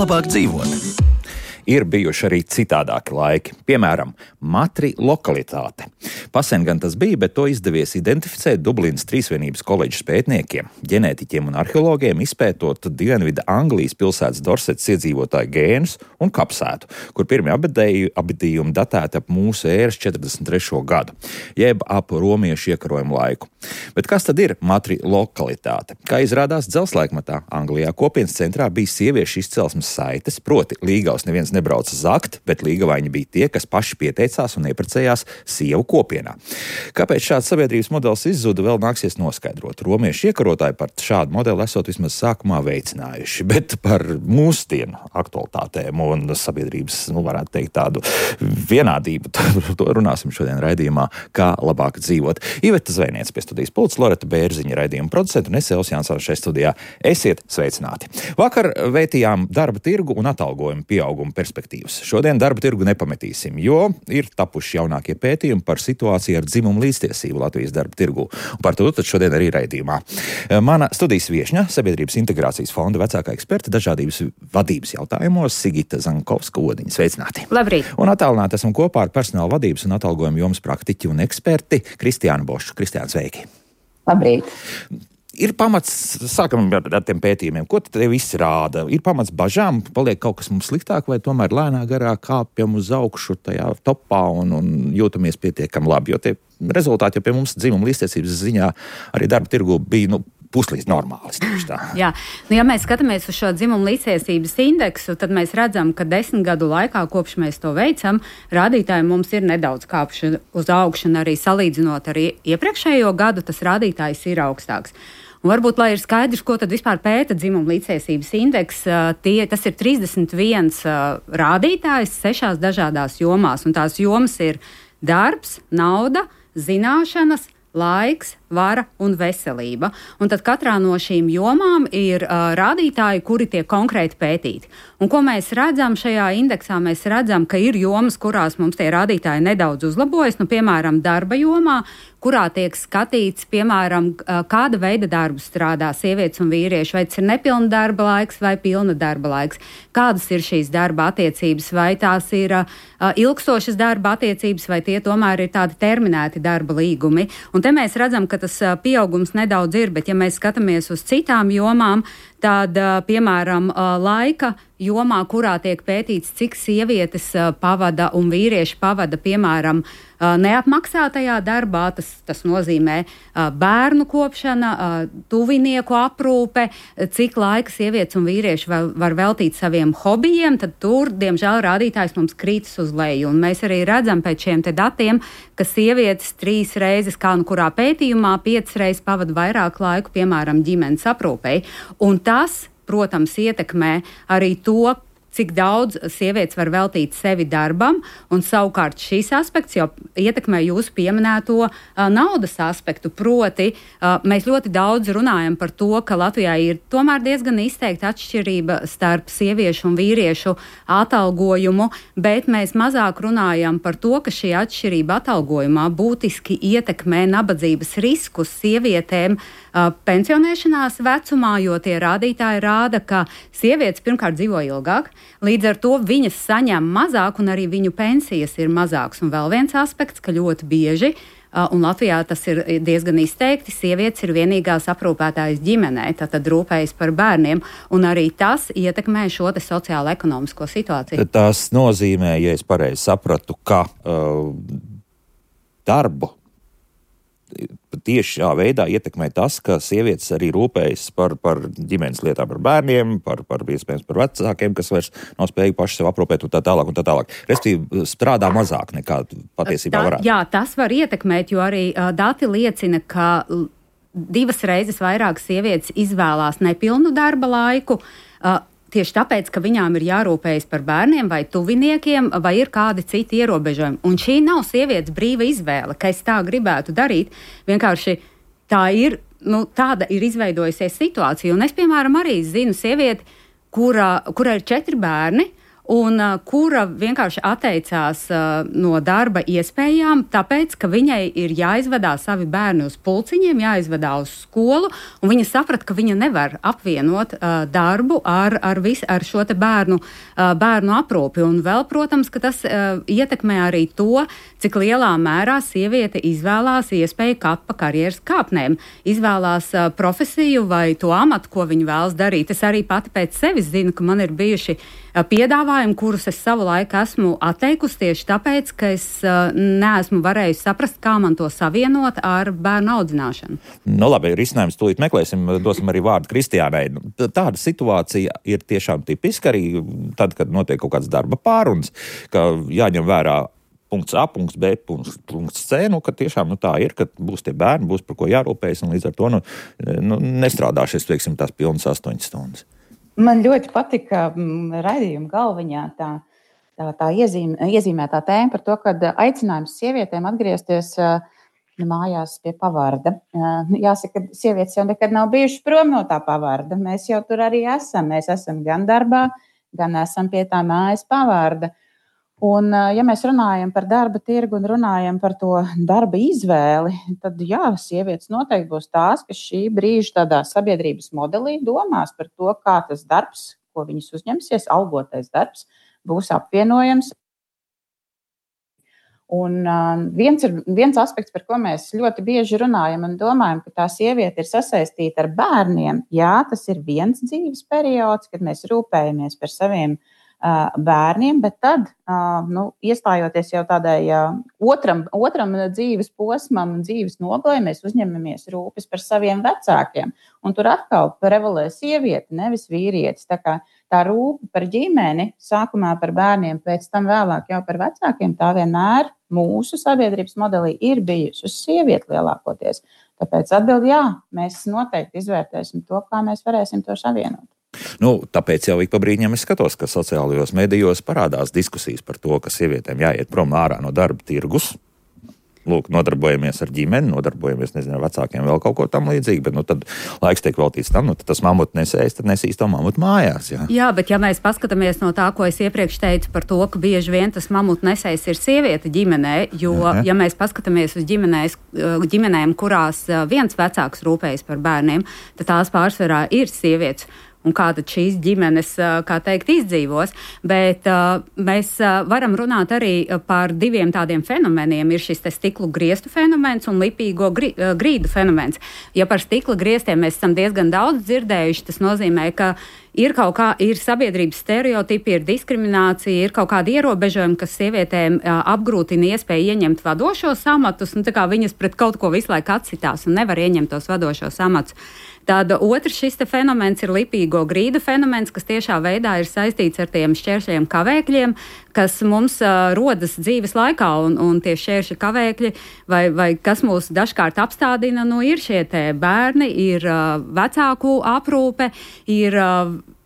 labāk dzīvot. Ir bijuši arī citādāki laiki, piemēram, matrilokalitāte. Pasen gan tas bija, bet to izdevies identificēt Dublinas Trīsvienības koledžas pētniekiem, ģenētiķiem un arheologiem, izpētot Dienvidu Anglijas pilsētas Dorsetas iedzīvotāju gēnus un kapsētu, kur pirmie abadījumi datēti ap mūsu ēras 43. gadu, jeb ap romiešu iekarojumu laiku. Bet kas tad ir matrilokalitāte? Kā izrādās dzelzceļa Anglijā kopienas centrā bija sieviešu izcelsmes saites, proti līgaus neviens nebrauca zakt, bet līgavaini bija tie, kas paši pieteicās un ieprecējās sievu kopienā. Kāpēc šāds sabiedrības modelis izzuda, vēl nāksies noskaidrot. Romiešu iekarotāji par šādu modeli esot vismaz sākumā veicinājuši, bet par mūsdienu aktualitātēm un sabiedrības, varētu teikt, tādu vienādību, to runāsim šodien raidījumā, kā labāk dzīvot. Iveta Zvēniec pie studijas pults, Loreta Bērziņa raidījuma producenta un es Elvis Jansons šeit studijā. Esiet sveicināti. Vakar vētījām darba tirgu un atalgojumu pieaugumu perspektīvas. Šodien darba tirgu nepametīsim, jo ir tapuši jaunākie pētījumi par situāciju ar dzimumu līdztiesību Latvijas darba tirgu. Un par to tad šodien arī raidījumā. Mana studijas viešņa, Sabiedrības integrācijas fonda vecākā eksperta dažādības vadības jautājumos, Sigita Zankovska-Odiņa. Sveicināti. Labrīt. Un attālināti esam kopā ar personāla vadības un atalgojuma jomas praktiķi un eksperti Kristiānu Bošu. Kristiāna, sveiki. Labrīt. Ir pamats, sākam ar tiem pētījumiem, ko te viss rāda? Ir pamats bažām, paliek kaut kas mums sliktāk, vai tomēr lēnā garā kāpjam uz augšu tajā topā un jūtamies pietiekami labi, jo tie rezultāti jau pie mums dzimuma līdztiesības ziņā arī darba tirgu bija, puslīdz normālis. Jā, ja mēs skatāmies uz šo dzimumu līdztiesības indeksu, tad mēs redzam, ka 10 gadu laikā, kopš mēs to veicam, rādītāji mums ir nedaudz kāpši uz augšu, un arī salīdzinot ar iepriekšējo gadu, tas rādītājs ir augstāks. Un varbūt, lai ir skaidrs, ko tad vispār pēta dzimumu līdztiesības indeks, tas ir 31 rādītājs 6 dažādās jomās, un tās jomas ir darbs, nauda, zināšanas, laiks, vara un veselība. Un tad katrā no šīm jomām ir rādītāji, kuri tiek konkrēti pētīti. Un ko mēs redzam šajā indeksā? Mēs redzam, ka ir jomas, kurās mums tie rādītāji nedaudz uzlabojas, piemēram, darba jomā, kurā tiek skatīts, piemēram, kāda veida darbu strādā sievietes un vīrieši, vai tas ir nepilna darba laiks vai pilna darba laiks, kādas ir šīs darba attiecības, vai tās ir ilgstošas darba attiecības, vai tie tomēr ir tādi terminēti darba līgumi. Un te mēs redzam, ka tas pieaugums nedaudz ir, bet ja mēs skatāmies uz citām jomām, tad, piemēram, laika jomā, kurā tiek pētīts, cik sievietes pavada un vīrieši pavada, piemēram, neapmaksātajā darbā, tas nozīmē bērnu kopšana, tuvinieku aprūpe, cik laika sievietes un vīrieši var veltīt saviem hobijiem, tad tur, diemžēl, rādītājs mums krītas uz leju. Un mēs arī redzam pēc šiem te datiem, ka sievietes 3 reizes, kā kurā pētījumā, 5 reizes pavada vairāk laiku, piemēram, ģimenes aprūpei. Un tas, protams, ietekmē arī to, cik daudz sievietes var veltīt sevi darbam, un savukārt šīs aspekts jau ietekmē jūsu pieminēto naudas aspektu. Proti, mēs ļoti daudz runājam par to, ka Latvijā ir tomēr diezgan izteikta atšķirība starp sieviešu un vīriešu atalgojumu, bet mēs mazāk runājam par to, ka šī atšķirība atalgojumā būtiski ietekmē nabadzības riskus sievietēm pensionēšanās vecumā, jo tie rādītāji rāda, ka sievietes pirmkārt dzīvo ilgāk, līdz ar to viņas saņem mazāk un arī viņu pensijas ir mazāks. Un vēl viens aspekts, ka ļoti bieži, un Latvijā tas ir diezgan izteikti, sievietes ir vienīgās aprūpētājas ģimenē, tad rūpējas par bērniem, un arī tas ietekmē šo te sociālo-ekonomisko situāciju. Tas nozīmē, ja es pareizi sapratu, ka darbu tieši šā veidā ietekmē tas, ka sievietes arī rūpējas par ģimenes lietām, par bērniem, par iespējams par vecākiem, kas vairs nav spējīgi paši sev aprūpēt un tā tālāk. Restīvi, strādā mazāk nekā patiesībā varētu. Jā, tas var ietekmēt, jo arī dati liecina, ka 2 reizes vairāk sievietes izvēlās nepilnu darba laiku, tieši tāpēc, ka viņām ir jārūpējas par bērniem vai tuviniekiem, vai ir kādi citi ierobežojumi. Un šī nav sievietes brīva izvēle, ka es tā gribētu darīt. Vienkārši tā ir, tāda ir izveidojusies situācija. Un es, piemēram, arī zinu sievieti, kura ir 4 bērni, un kura vienkārši atteicās no darba iespējām, tāpēc, ka viņai ir jāizvedā savi bērni uz pulciņiem, jāizvedā uz skolu, un viņa saprata, ka viņa nevar apvienot darbu ar šo te bērnu aprūpi. Un vēl, protams, ka tas ietekmē arī to, cik lielā mērā sieviete izvēlās iespēju kāpt pa karjeras kāpnēm, izvēlās profesiju vai to amatu, ko viņa vēlas darīt. Es arī pati pēc sevis zinu, ka man ir bijuši piedāvājumi, kurus es savu laiku esmu atteikusi tieši tāpēc, ka es neesmu varējusi saprast, kā man to savienot ar bērnu audzināšanu. Nu labi, risinājums tūlīt meklēsim, dosim arī vārdu Kristiānai. Tāda situācija ir tiešām tipiska arī tad, kad notiek kaut kāds darba pārunas, ka jāņem vērā punkts A, punkts B, punkts C, ka tiešām tā ir, ka būs tie bērni, būs par ko jārūpējas, un līdz ar to nestrādāšies, teiksim, tās pilnas 8 stundas. Man ļoti patika raidījuma galviņā tā iezīmētā tēma par to, ka aicinājums sievietēm atgriezties mājās pie pavarda. Jāsaka, ka sievietes jau nekad nav bijušas prom no tā pavarda. Mēs jau tur arī esam. Mēs esam gan darbā, gan esam pie tā mājas pavarda. Un, ja mēs runājam par darba tirgu un runājam par to darba izvēli, tad jā, sievietes noteikti būs tās, kas šī brīža tādā sabiedrības modelī domās par to, kā tas darbs, ko viņas uzņemsies, algotais darbs, būs apvienojams. Un viens aspekts, par ko mēs ļoti bieži runājam un domājam, ka tā sieviete ir sasaistīta ar bērniem, jā, tas ir viens dzīves periods, kad mēs rūpējamies par saviem bērniem, bet tad, iestājoties jau tādai otram dzīves posmam un dzīves nogalē, mēs uzņemamies rūpes par saviem vecākiem. Un tur atkal prevalē sieviete, nevis vīrietis. Tā kā tā rūpe par ģimeni, sākumā par bērniem, pēc tam vēlāk jau par vecākiem, tā vienmēr mūsu sabiedrības modelī ir bijusi uz sievieti lielākoties. Tāpēc atbildi jā, mēs noteikti izvērtēsim to, kā mēs varēsim to savienot. Tāpēc jau ik pa brīdim es skatos, ka sociālajos medijos parādās diskusijas par to, ka sievietēm jāiet prom ārā no darba tirgus. Lūk, nodarbojamies ar ģimeni, nodarbojamies, ar vecākiem vēl kaut ko tam līdzīgi, bet tad laiks tiek veltīts tam, tad tas mamutu nesēs, tad nesīs to mamutu mājās. Jā, bet ja mēs paskatāmies no tā, ko es iepriekš teicu par to, ka bieži vien tas mamutu nesējs ir sieviete ģimenē, jo, ja mēs paskatāmies uz ģimenēm, kurās viens vecāks rūpējas par bērniem, tad tās pārsvarā ir sievietes. Un kā tad šīs ģimenes, kā teikt, izdzīvos. Bet mēs varam runāt arī par diviem tādiem fenomeniem. Ir šis stiklu grieztu fenomens un lipīgo grīdu fenomens. Ja par stikla grieztiem mēs esam diezgan daudz dzirdējuši, tas nozīmē, ka ir sabiedrības stereotipi, ir diskriminācija, ir kaut kādi ierobežojumi, kas sievietēm apgrūtina iespēju ieņemt vadošos amatus, un tā kā viņas pret kaut ko visu laiku atsitās un nevar ieņemt tos vadošos amatus. Tad otrs šis fenomens ir lipīgo grīdu fenomens, kas tiešā veidā ir saistīts ar tiem šķēršļiem kavēkļiem, kas mums rodas dzīves laikā, un tie šķēršļi kavēkļi, vai kas mūs dažkārt apstādina, ir šie te bērni, ir vecāku aprūpe, ir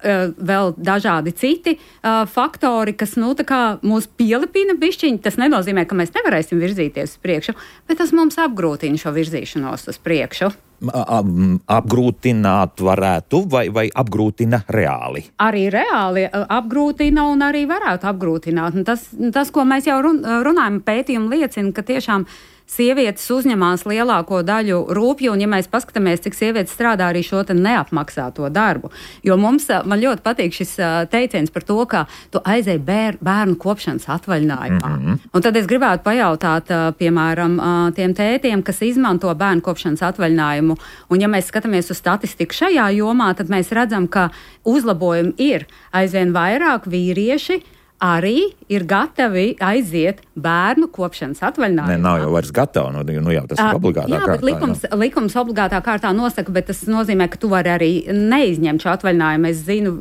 vēl dažādi citi faktori, kas mūs pielipina bišķiņi. Tas nenozīmē, ka mēs nevarēsim virzīties uz priekšu, bet tas mums apgrūtina šo virzīšanos uz priekšu. Apgrūtināt varētu vai apgrūtina reāli? Arī reāli apgrūtina un arī varētu apgrūtināt. Tas, ko mēs jau runājam, pētījumi liecina, ka tiešām sievietes uzņemās lielāko daļu rūpju, un ja mēs paskatāmies, cik sievietes strādā arī šo te neapmaksāto darbu. Jo man ļoti patīk šis teiciens par to, ka tu aizēji bērnu kopšanas atvaļinājumā. Un tad es gribētu pajautāt, piemēram, tiem tētiem, kas izmanto bērnu kopšanas atvaļinājumu, un ja mēs skatāmies uz statistiku šajā jomā, tad mēs redzam, ka uzlabojumi ir aizvien vairāk vīrieši, arī ir gatavi aiziet bērnu kopšanas atvaļinājumā. Nav jau vairs gatavi, jau tas ir obligātā kārtā. Bet likums obligātā kārtā nosaka, bet tas nozīmē, ka tu vari arī neizņemt šo atvaļinājumu. Es zinu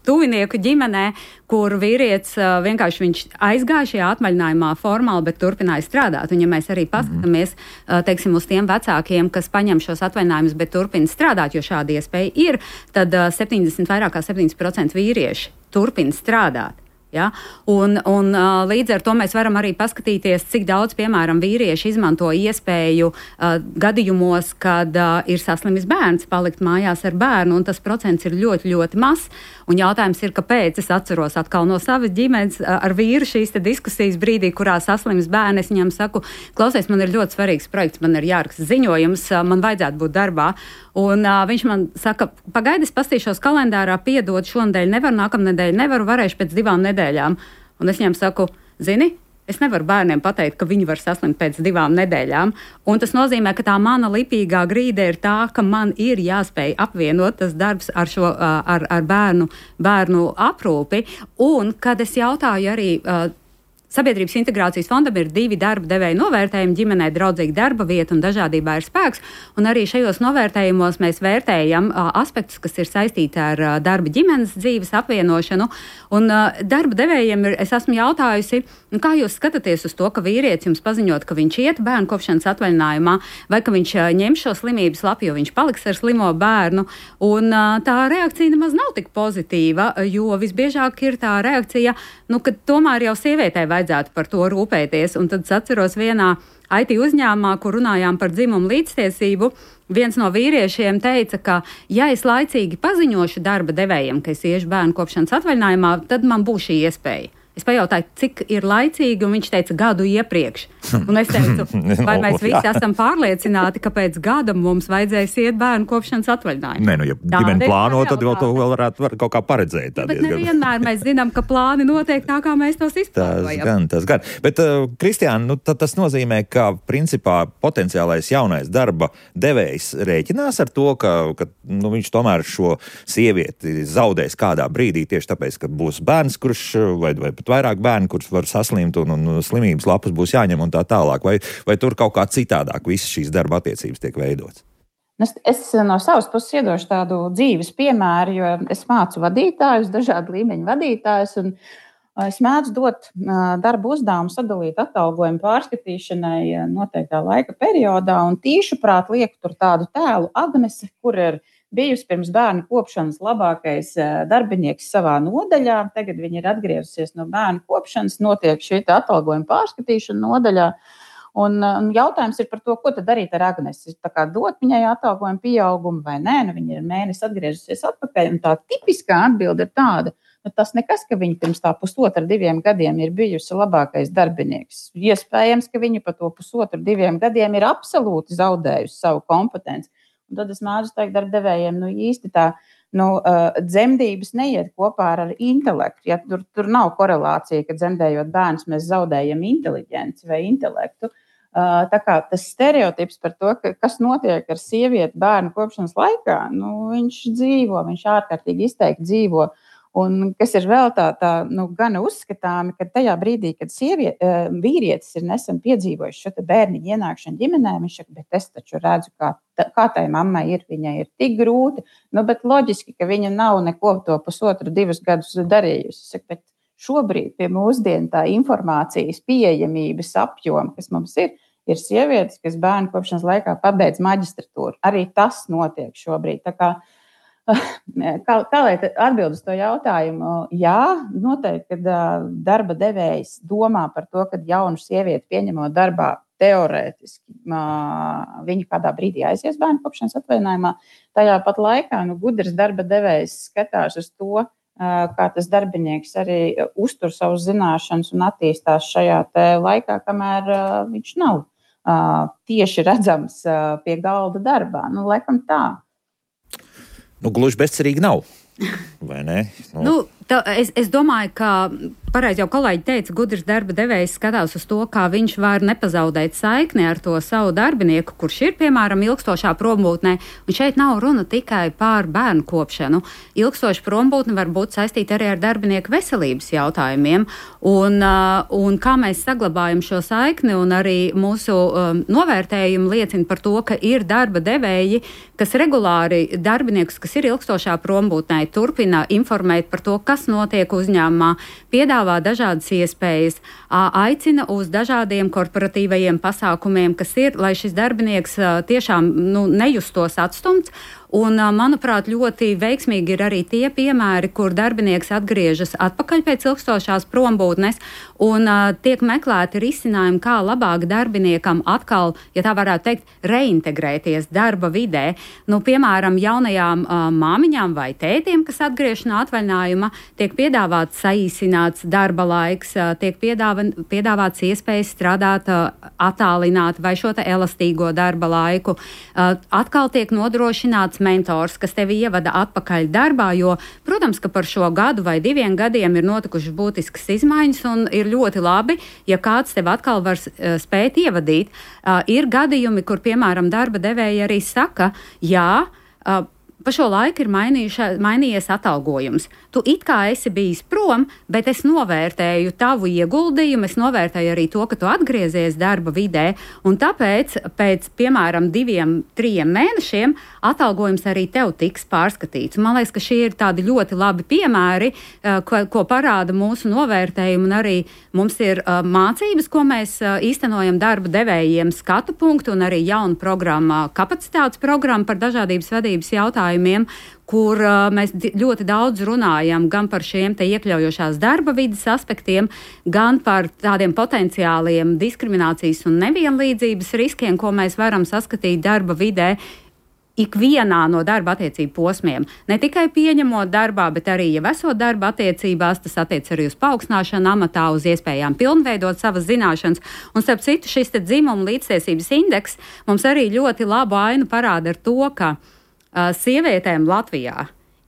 tuvinieku ģimenē, kur vīrietis vienkārši viņš aizgāja šajā atvaļinājumā formāli, bet turpināja strādāt. Un ja mēs arī paskatāmies, teiksim, uz tiem vecākiem, kas paņem šos atvaļinājumus, bet turpina strādāt, jo šāda iespēja ir, tad vairāk kā 70% vīrieši turpina strādāt. Ja? Un līdz ar to mēs varam arī paskatīties, cik daudz, piemēram, vīrieši izmanto iespēju gadījumos, kad ir saslimis bērns, palikt mājās ar bērnu, un tas procents ir ļoti, ļoti mazs. Un jautājums ir, kāpēc es atceros atkal no savas ģimenes ar vīru šīs diskusijas brīdī, kurā saslimis bērni. Es viņam saku, klausies, man ir ļoti svarīgs projekts, man ir jāraksta ziņojums, man vajadzētu būt darbā. Un viņš man saka, pagaidi, es pastīšos kalendārā, piedod, šonadēļ nevaru, nākamnedēļ nevaru, varēšu pēc 2 nedēļām. Un es viņam saku, zini, es nevaru bērniem pateikt, ka viņi var saslimt pēc 2 nedēļām. Un tas nozīmē, ka tā mana lipīgā grīde ir tā, ka man ir jāspēj apvienot tas darbs ar bērnu aprūpi. Un, kad es jautāju arī Sabiedrības integrācijas fondam ir 2 darba devēja novērtējumi, ģimenei draudzīga darba vieta un dažādībā ir spēks. Un arī šajos novērtējumos mēs vērtējam aspektus, kas ir saistīti ar darba ģimenes dzīves apvienošanu. Un darba devējiem es esmu jautājusi, kā jūs skatāties uz to, ka vīrietis jums paziņot, ka viņš iet bērnu kopšanas atvaļinājumā, vai ka viņš ņem šo slimības lapu, jo viņš paliks ar slimo bērnu. Un tā reakcija nemaz nav tik pozitīva, jo visbiežāk ir tā reakcija, ka tomēr jau sievietei vajadzētu par to rūpēties. Un tad es atceros vienā IT uzņēmumā, kur runājām par dzimumu līdztiesību, viens no vīriešiem teica, ka ja es laicīgi paziņošu darba devējiem, ka es iešu bērnu kopšanas atvaļinājumā, tad man būs šī iespēja. Es pajautāju, cik ir laicīgi, un viņš teica 1 gadu iepriekš. Un es teicu, vai mēs visi esam pārliecināti, ka pēc gada mums vajadzēs iet bērnu kopšanas atvaļinājumu. Nē, ja ģimene plāno, tad vēl to varētu kaut kā paredzēt. Bet nevienmēr mēs zinām, ka plāni notiek tā, kā mēs tos izplānojam. Tas gan. Bet, Kristiāna, tas nozīmē, ka principā potenciālais jaunais darba devējs rēķinās ar to, ka viņš tomēr šo sievieti zaudēs kādā brīdī tieši tāpēc, ka būs bērns, kurš vai vairāk bērni, kurus var saslimt un slimības lapas būs jāņem un tā tālāk. Vai tur kaut kā citādāk visas šīs darba attiecības tiek veidotas? Es no savas puses iedošu tādu dzīves piemēru, jo es mācu vadītājus, dažādu līmeņu vadītājus, un es mēdzu dot darbu uzdevumu sadalīt atalgojumu pārskatīšanai noteiktā laika periodā, un tīšuprāt lieku tur tādu tēlu Agnese, kur ir bijusi pirms bērnu kopšanas labākais darbinieks savā nodaļā. Tagad viņa ir atgriezusies no bērnu kopšanas, notiek šī atalgojuma pārskatīšana nodaļā. Un jautājums ir par to, ko tad darīt ar Agnesi. Tā kā dot viņai atalgojumu pieaugumu vai nē, viņa ir mēnesi atgriezusies atpakaļ. Un tā tipiskā atbilde ir tāda, tas nekas, ka viņa pirms tā 1,5–2 gadiem ir bijusi labākais darbinieks. Iespējams, ka viņa pa to 1,5–2 gadiem ir absolūti zaudējusi savu kompetenci. Un tad es mēdzu teikt darbdevējiem, īsti tā dzemdības neiet kopā ar intelektu. Ja tur nav korelācija, ka dzemdējot bērnus mēs zaudējam inteliģenci vai intelektu. Tā kā tas stereotips par to, kas notiek ar sievieti bērnu kopšanas laikā, viņš dzīvo, viņš ārkārtīgi izteikti dzīvo. Un kas ir vēl tā gana uzskatāmi, ka tajā brīdī, kad vīrietis ir nesen piedzīvojis šo bērniņu ienākšanu ģimenē, viņš saka, bet es taču redzu, kā tai mammai ir, viņai ir tik grūti, bet loģiski, ka viņa nav neko to 1,5–2 gadus darījusi. Saka, bet šobrīd pie mūsdienu tā informācijas pieejamības apjoma, kas mums ir sievietes, kas bērnu kopšanas laikā pabeidz maģistratūru. Arī tas notiek šobrīd. Tā kā Kā lai atbild uz to jautājumu? Jā, noteikti, kad darba devējs domā par to, ka jaunu sievieti pieņemot darbā teorētiski, viņi kādā brīdī aizies bērnu kopšanas atvaļinājumā. Tajā pat laikā gudrs darba devējs skatās uz to, kā tas darbinieks arī uztur savus zināšanas un attīstās šajā laikā, kamēr viņš nav tieši redzams pie galda darbā. Laikam tā. Gluži bezcerīgi nav, vai ne? Es domāju, ka pareizi jau kolēģi teica, gudrs darba devējs skatās uz to, kā viņš var nepazaudēt saikni ar to savu darbinieku, kurš ir, piemēram, ilgstošā prombūtnē. Un šeit nav runa tikai par bērnu kopšanu. Ilgstoša prombūtne var būt saistīta arī ar darbinieku veselības jautājumiem. Un kā mēs saglabājam šo saikni, un arī mūsu novērtējumi liecina par to, ka ir darba devēji, kas regulāri darbiniekus, kas ir ilgstošā prombūtnē, turpina informēt par to, kas kas notiek uzņēmumā, piedāvā dažādas iespējas, aicina uz dažādiem korporatīvajiem pasākumiem, kas ir, lai šis darbinieks tiešām nejustos atstumts. Un, manuprāt, ļoti veiksmīgi ir arī tie piemēri, kur darbinieks atgriežas atpakaļ pēc ilgstošās prombūtnes un tiek meklēti risinājumi, kā labāk darbiniekam atkal, ja tā varētu teikt, reintegrēties darba vidē. Piemēram, jaunajām māmiņām vai tētiem, kas atgriež no atvaļinājuma, tiek piedāvāts saīsināts darba laiks, tiek piedāvāts iespējas strādāt attālināt vai šo elastīgo darba laiku. Atkal tiek nodrošināts mentors, kas tevi ievada atpakaļ darbā, jo, protams, ka par šo gadu vai 2 gadiem ir notikušas būtiskas izmaiņas un ir ļoti labi, ja kāds tev atkal var spēt ievadīt. Ir gadījumi, kur, piemēram, darba devēji arī saka, jā, pa šo laiku ir mainījies atalgojums. Tu it kā esi bijis prom, bet es novērtēju tavu ieguldījumu, es novērtēju arī to, ka tu atgriezies darba vidē, un tāpēc pēc, piemēram, 2-3 mēnešiem atalgojums arī tev tiks pārskatīts. Man liekas, ka šie ir tādi ļoti labi piemēri, ko parāda mūsu novērtējumi, un arī mums ir mācības, ko mēs īstenojam darba devējiem skatu punktu, un arī jauna programma, kapacitātes programma par dažādības vadības jautājumiem, kur mēs ļoti daudz runājam gan par šiem te iekļaujošās darba vides aspektiem, gan par tādiem potenciāliem diskriminācijas un nevienlīdzības riskiem, ko mēs varam saskatīt darba vidē ikvienā no darba attiecību posmiem. Ne tikai pieņemot darbā, bet arī, ja esot darba attiecībās, tas attiec arī uz paaugstināšanu amatā, uz iespējām pilnveidot savas zināšanas. Un, starp citu, šis te dzimuma līdztiesības indeks mums arī ļoti labu ainu parāda ar to, ka sievietēm Latvijā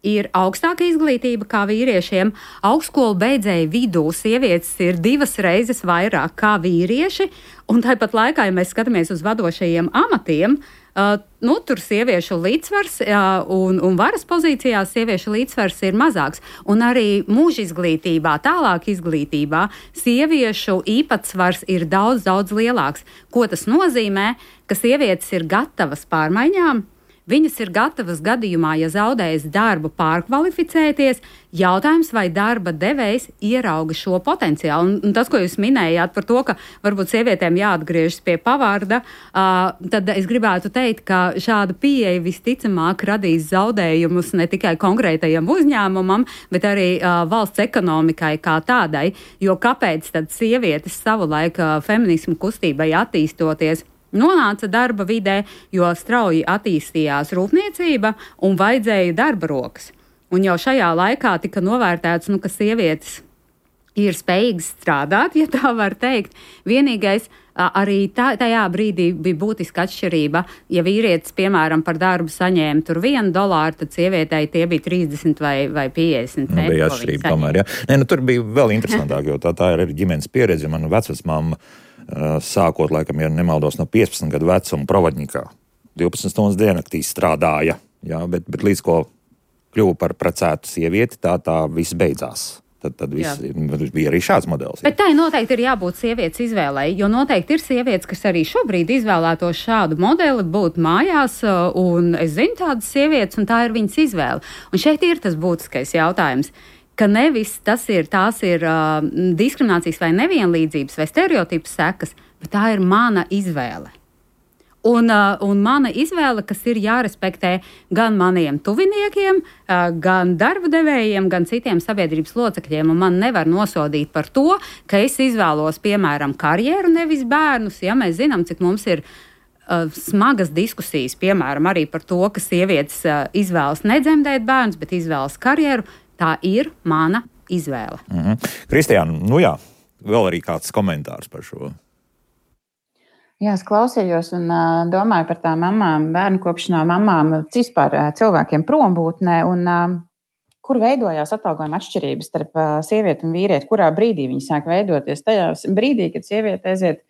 ir augstāka izglītība kā vīriešiem. Augstskolu beidzēju vidū sievietes ir 2 reizes vairāk kā vīrieši, un tāpat laikā, ja mēs skatāmies uz vadošajiem amatiem, tur sieviešu līdzsvars un varas pozīcijās sieviešu līdzsvars ir mazāks. Un arī mūža izglītībā, tālāk izglītībā sieviešu īpatsvars ir daudz, daudz lielāks. Ko tas nozīmē? Ka sievietes ir gatavas pārmaiņām. Viņas ir gatavas gadījumā, ja zaudēs darbu, pārkvalificēties. Jautājums, vai darba devējs ierauga šo potenciālu. Un tas, ko jūs minējāt par to, ka varbūt sievietēm jāatgriežas pie pavārda, tad es gribētu teikt, ka šāda pieeja visticamāk radīs zaudējumus ne tikai konkrētajam uzņēmumam, bet arī valsts ekonomikai kā tādai. Jo kāpēc tad sievietes savulaik feminismu kustībai attīstoties nonāca darba vidē, jo strauji attīstījās rūpniecība un vajadzēja darba rokas. Un jau šajā laikā tika novērtēts, ka sievietes ir spējīgas strādāt, ja tā var teikt. Vienīgais arī tajā brīdī bija būtiska atšķirība. Ja vīrietis, piemēram, par darbu saņēma tur $1, tad sievietei tie bija 30 vai 50. Bija atšķirība tomēr, jā. Tur bija vēl interesantāk, jo tā ir ģimenes pieredze. Mana vecvecmāma sākot, laikam, ja nemaldos, no 15 gadu vecuma Provodņikā 12 stundas diennaktī strādāja, jā, bet līdz ko kļuva par precētu sievieti, tā viss beidzās. Tad bija arī šāds modelis. Bet tai noteikti ir jābūt sievietes izvēlei, jo noteikti ir sievietes, kas arī šobrīd izvēlētos šādu modeli, būt mājās, un es zinu tādas sievietes, un tā ir viņas izvēle. Un šeit ir tas būtiskais jautājums, ka nevis tās ir diskriminācijas vai nevienlīdzības vai stereotipu sekas, bet tā ir mana izvēle. Un mana izvēle, kas ir jārespektē gan maniem tuviniekiem, gan darba devējiem, gan citiem sabiedrības locekļiem. Un man nevar nosodīt par to, ka es izvēlos, piemēram, karjeru, nevis bērnus. Ja mēs zinām, cik mums ir smagas diskusijas, piemēram, arī par to, ka sievietes izvēlas nedzemdēt bērnus, bet izvēlas karjeru. Tā ir mana izvēle. Kristiāna, vēl arī kāds komentārs par šo? Jā, es klausījos un domāju par tām mamām, bērnu kopšanā mamām, vispār cilvēkiem prombūtnē, un kur veidojās atalgojuma atšķirības starp sievieti un vīrieti, kurā brīdī viņi sāk veidoties. Tajā brīdī, kad sieviete aiziet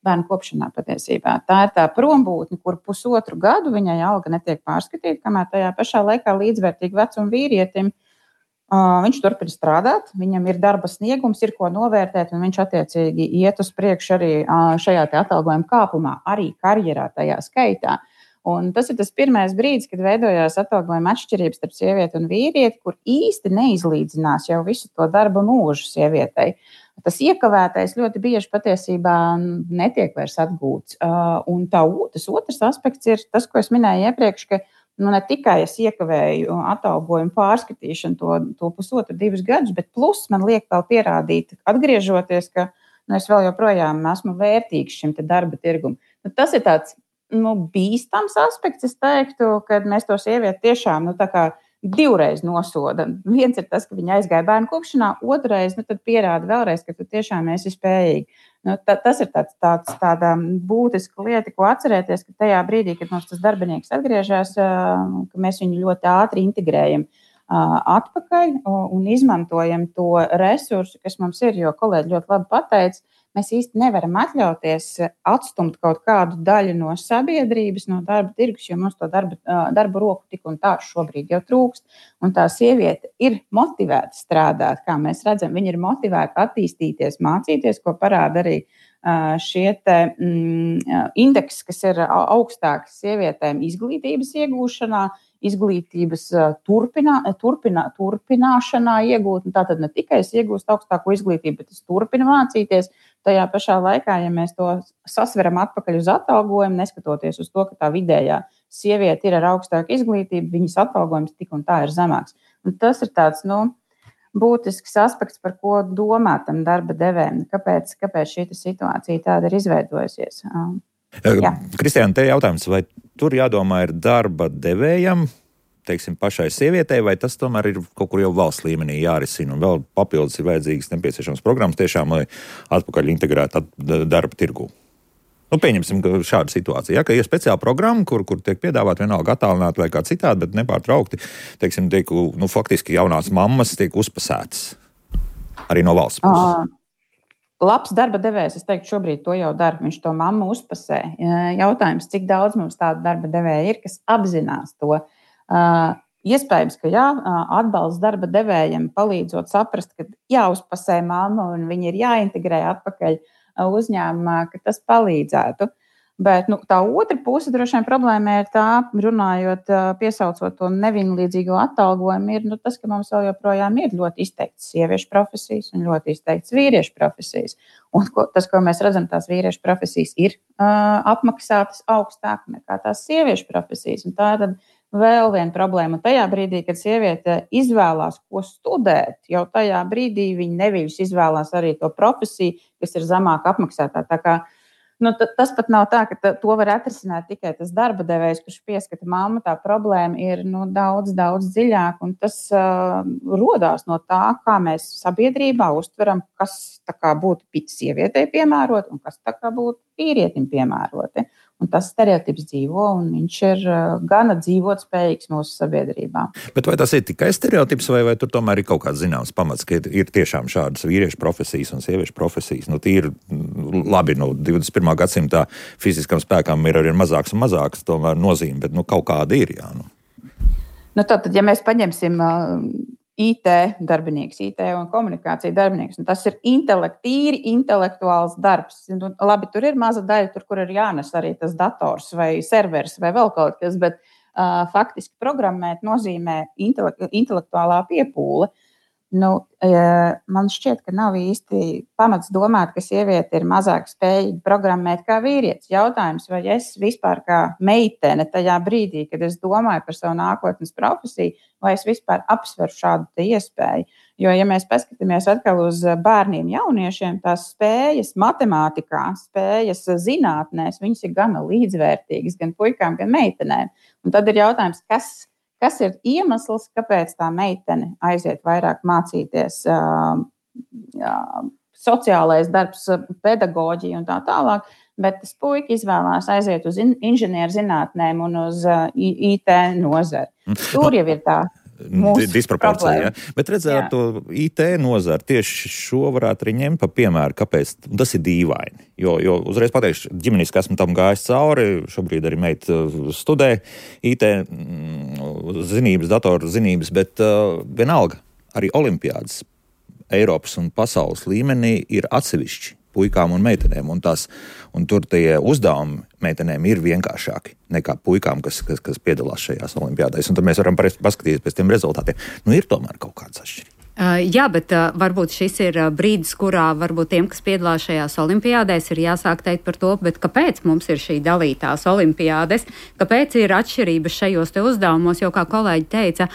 bērnu kopšanā patiesībā. Tā ir tā prombūtne, kur 1,5 gadu viņai alga netiek pārskatīta, kamēr tajā pašā laikā līdzvērtīgi vecuma vīrietim viņš turpina strādāt, viņam ir darba sniegums, ir ko novērtēt, un viņš attiecīgi iet uz priekšu arī šajā atalgojuma kāpumā, arī karjerā tajā skaitā. Un tas ir tas pirmais brīdis, kad veidojās atalgojuma atšķirības starp sievieti un vīrieti, kur īsti neizlīdzinās jau visu to darba mūžu sievietei. Tas iekavētais ļoti bieži patiesībā netiek vairs atgūts. Un tas otrs aspekts ir tas, ko es minēju iepriekš, ka ne tikai es iekavēju atalgojumu pārskatīšanu to 1,5–2 gadus, bet plus man liek vēl pierādīt, atgriežoties, ka es vēl joprojām esmu vērtīgs šim darba tirgum. Tas ir tāds bīstams aspekts, es teiktu, kad mēs to sievieti tiešām divreiz nosoda. Viens ir tas, ka viņa aizgāja bērnu kopšanā, otrais tad pierāda vēlreiz, ka tu tiešām esi spējīgi. Tas ir tāda būtiska lieta, ko atcerēties, ka tajā brīdī, kad mums tas darbinieks atgriežas, ka mēs viņu ļoti ātri integrējam atpakaļ un izmantojam to resursu, kas mums ir, jo kolēģi ļoti labi pateica, mēs īsti nevaram atļauties atstumt kaut kādu daļu no sabiedrības, no darba tirgus, jo mums to darba roku tik un tā šobrīd jau trūkst. Un tā sieviete ir motivēta strādāt, kā mēs redzam, viņa ir motivēta attīstīties, mācīties, ko parāda arī šie indeksi, kas ir augstāki sievietēm izglītības iegūšanā, izglītības turpināšanā iegūt. Tātad ne tikai es iegūstu augstāko izglītību, bet es turpinu mācīties. Tajā pašā laikā, ja mēs to sasveram atpakaļ uz atalgojumu, neskatoties uz to, ka tā vidējā sieviete ir ar augstāku izglītību, viņas atalgojums tik un tā ir zemāks. Un tas ir tāds, būtisks aspekts, par ko domā tam darba devējiem. Kāpēc šī situācija tāda ir izveidojusies? Kristiāna, te jautājums, vai tur jādomā ir darba devējam, teiksim, pašai sievietei, vai tas tomēr ir kaut kur jau valsts līmenī jārisina, un vēl papildus ir vajadzīgas nepieciešams programmas tiešām, lai atpakaļ integrētu darba tirgū? Pieņemsim šādu situāciju, ka ir speciāla programma, kur tiek piedāvāt vienalga attālināti vai kā citādi, bet nepārtraukti, teiksim, faktiski jaunās mammas tiek uzpasētas arī no valsts puses. Labs darba devējs, es teiktu, šobrīd to jau dara. Viņš to mammu uzpasē. Jautājums, cik daudz mums tādu darba devēju ir, kas apzinās to. Iespējams, ka atbalsts darba devējiem palīdzot saprast, ka jāuzpasē mamma un viņi ir jāintegrē atpakaļ uzņēmumā, ka tas palīdzētu. Bet tā otra puse droši vien problēma ir tā, runājot, piesaucot to nevienlīdzīgo atalgojumu, ir tas, ka mums vēl joprojām ir ļoti izteikts sieviešu profesijas un ļoti izteikts vīriešu profesijas. Un tas, ko mēs redzam, tās vīriešu profesijas ir apmaksātas augstāk nekā tās sieviešu profesijas. Un tā ir tad vēl viena problēma. Un tajā brīdī, kad sieviete izvēlās, ko studēt, jau tajā brīdī viņa nevis izvēlās arī to profesiju, kas ir zemāk apmaksātā. Tā kā tas pat nav tā, ka to var atrisināt tikai tas darba devējs, kurš pieskata mammu. Tā problēma ir daudz dziļāk, un tas rodās no tā, kā mēs sabiedrībā uztveram, kas būtu sievietei piemēroti un kas būtu vīrietim piemēroti. Un tas stereotips dzīvo, un viņš ir gana dzīvotspējīgs mūsu sabiedrībā. Bet vai tas ir tikai stereotips, vai tur tomēr ir kaut kāds zināms pamats, ka ir tiešām šādas vīriešu profesijas un sieviešu profesijas? Tīri labi, 21. gadsimtā fiziskam spēkam ir arī mazāks un mazāks tomēr nozīme, bet kaut kāda ir, jā. Tātad, ja mēs paņemsim IT darbinieks, IT un komunikācija darbinieks. Tas ir tīri intelektuāls darbs. Labi, tur ir maza daļa, kur ir jānes arī tas dators vai serveris vai vēl kaut kas, bet faktiski programmēt nozīmē intelektuālā piepūle. Man šķiet, ka nav īsti pamats domāt, ka sieviete ir mazāk spējīga programmēt kā vīrietis. Jautājums, vai es vispār kā meitene tajā brīdī, kad es domāju par savu nākotnes profesiju, vai es vispār apsveru šādu iespēju. Jo, ja mēs paskatāmies atkal uz bērniem, jauniešiem, tās spējas matemātikā, spējas zinātnēs, viņas ir gana līdzvērtīgas gan puikām, gan meitenēm. Un tad ir jautājums, kas ir iemesls, kāpēc tā meitene aiziet vairāk mācīties sociālais darbs, pedagoģija un tā tālāk, bet tas puika izvēlās aiziet uz inženierzinātnēm un uz IT nozari. Tur jau ir tā disproporcija. Ja? Bet redzēt to IT nozari, tieši šo varētu arī ņemt pa piemēru, kāpēc tas ir dīvaini. Jo uzreiz pateikšu, ģimeniski esmu tam gājis cauri, šobrīd arī meita studē IT zinības, datoru zinības, bet vienalga arī olimpiādas Eiropas un pasaules līmenī ir atsevišķi puikām un meitenēm, un tur tie uzdevumi meitenēm ir vienkāršāki nekā puikām, kas piedalās šajās olimpiādēs, un tad mēs varam paskatīties pēc tiem rezultātiem. Ir tomēr kaut kāds atšķirības. Jā, bet varbūt šis ir brīdis, kurā varbūt tiem, kas piedalās šajās olimpiādēs, ir jāsāk teikt par to, bet kāpēc mums ir šī dalītās olimpiādes, kāpēc ir atšķirības šajos te uzdevumos, jo, kā kolēģi teica,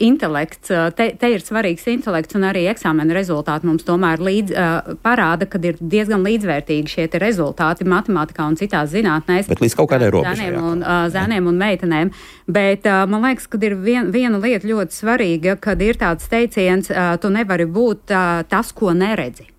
intelekts, te ir svarīgs intelekts, un arī eksāmena rezultāti mums tomēr parāda, kad ir diezgan līdzvērtīgi šie te rezultāti matemātikā un citās zinātnēs. Bet līdz kaut kādai robežai. Zēniem un meitenēm. Bet man liekas, ka ir viena lieta ļoti svarīga, kad ir tāds teiciens, tu nevari būt tas, ko neredzi.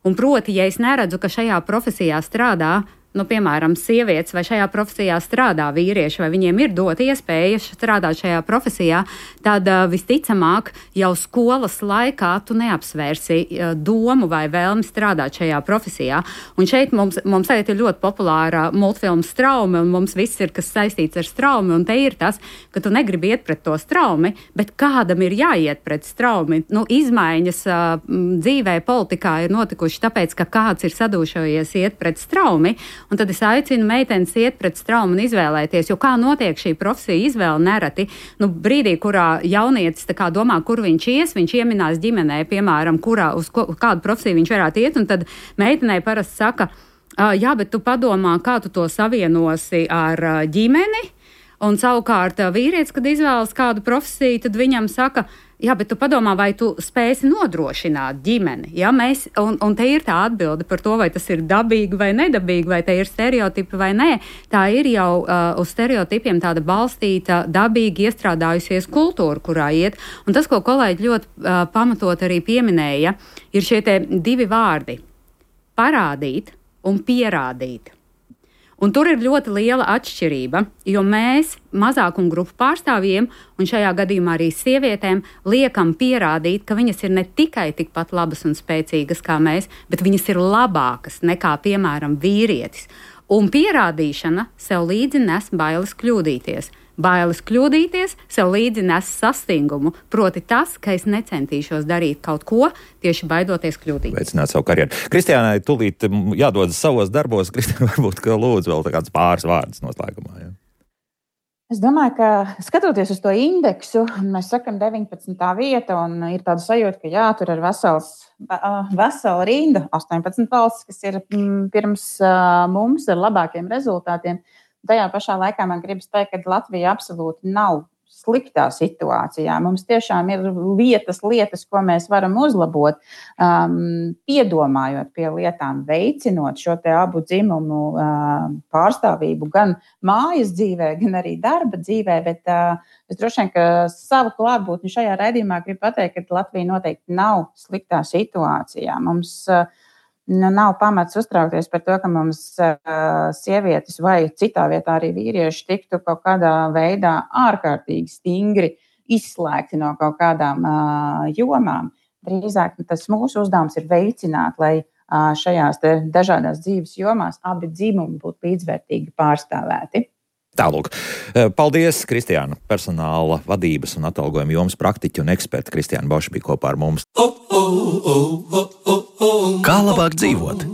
Un proti, ja es neredzu, ka šajā profesijā strādā, piemēram, sievietes vai šajā profesijā strādā vīrieši, vai viņiem ir dot iespēja strādāt šajā profesijā, tad visticamāk jau skolas laikā tu neapsvērsi domu vai vēlmi strādāt šajā profesijā. Un šeit mums tagad ir ļoti populāra multfilma Straumi, un mums viss ir, kas saistīts ar straumi, un te ir tas, ka tu negribi iet pret to straumi, bet kādam ir jāiet pret straumi. Izmaiņas dzīvē, politikā ir notikuši tāpēc, ka kāds ir sadūšojies iet pret straumi. Un tad es aicinu meitenes iet pret straumu un izvēlēties, jo kā notiek šī profesija izvēle nereti. Brīdī, kurā jaunietis domā, kur viņš ies, viņš ieminās ģimenē, piemēram, uz kādu profesiju viņš varētu iet, un tad meitenei parasti saka, jā, bet tu padomā, kā tu to savienosi ar ģimeni, un savukārt vīrietis, kad izvēlas kādu profesiju, tad viņam saka, jā, bet tu padomā, vai tu spēsi nodrošināt ģimeni. Ja? Un te ir tā atbilde par to, vai tas ir dabīgi vai nedabīgi, vai te ir stereotipi vai nē. Tā ir jau uz stereotipiem tāda balstīta, dabīgi iestrādājusies kultūra, kurā iet. Un tas, ko kolēģi ļoti pamatot arī pieminēja, ir šie te divi vārdi – parādīt un pierādīt. Un tur ir ļoti liela atšķirība, jo mēs mazākumu grupu pārstāvjiem, un šajā gadījumā arī sievietēm, liekam pierādīt, ka viņas ir ne tikai tikpat labas un spēcīgas kā mēs, bet viņas ir labākas nekā, piemēram, vīrietis. Un pierādīšana sev līdzi nes bailes kļūdīties. Bailes kļūdīties sev līdzi nes sastingumu, proti tas, ka es necentīšos darīt kaut ko, tieši baidoties kļūdīties. Veicināt savu karjeru. Kristiānai tūlīt jādodas savos darbos. Kristiāna, varbūt, ka lūdzu vēl kāds pāris vārdus noslēgumā. Ja? Es domāju, ka skatoties uz to indeksu, mēs sakam 19. vieta, un ir tāda sajūta, ka jā, tur ir vesela rinda, 18 valsts, kas ir pirms mums ar labākiem rezultātiem. Tajā pašā laikā man gribas teikt, ka Latvija absolūti nav sliktā situācijā. Mums tiešām ir lietas, ko mēs varam uzlabot, piedomājot pie lietām, veicinot šo te abu dzimumu pārstāvību gan mājas dzīvē, gan arī darba dzīvē, bet es droši vien, ka savu klātbūtni šajā raidījumā gribu pateikt, ka Latvija noteikti nav sliktā situācijā. Mums nav pamats uztraukties par to, ka mums sievietes vai citā vietā arī vīrieši tiktu kaut kādā veidā ārkārtīgi stingri izslēgti no kaut kādām jomām. Drīzāk tas mūsu uzdevums ir veicināt, lai šajās dažādās dzīves jomās abi dzimumi būtu līdzvērtīgi pārstāvēti. Tālūk. Paldies, Kristiāna, personāla vadības un atalgojuma jomas praktiķi un eksperti. Kristiāna Boša bija kopā ar mums. Kā labāk dzīvot?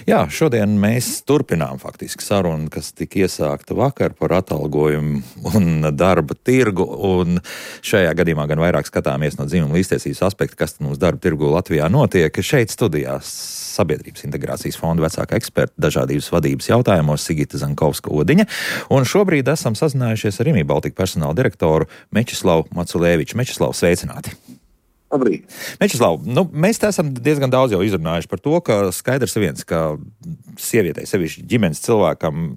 Jā, šodien mēs turpinām faktiski sarunu, kas tika iesākta vakar par atalgojumu un darba tirgu, un šajā gadījumā gan vairāk skatāmies no dzimuma līdztiesības aspekta, kas mums darba tirgu Latvijā notiek. Šeit studijās Sabiedrības integrācijas fonda vecākā eksperta dažādības vadības jautājumos Sigita Zankovska-Odiņa, un šobrīd esam sazinājušies ar Rimi Baltika personāla direktoru Mečeslavu Maculēviču. Mečeslav, sveicināti! Labrīt. Mečeslav, mēs te esam diezgan daudz jau izrunājuši par to, ka skaidrs viens, ka sievietei, sevišķi ģimenes cilvēkam,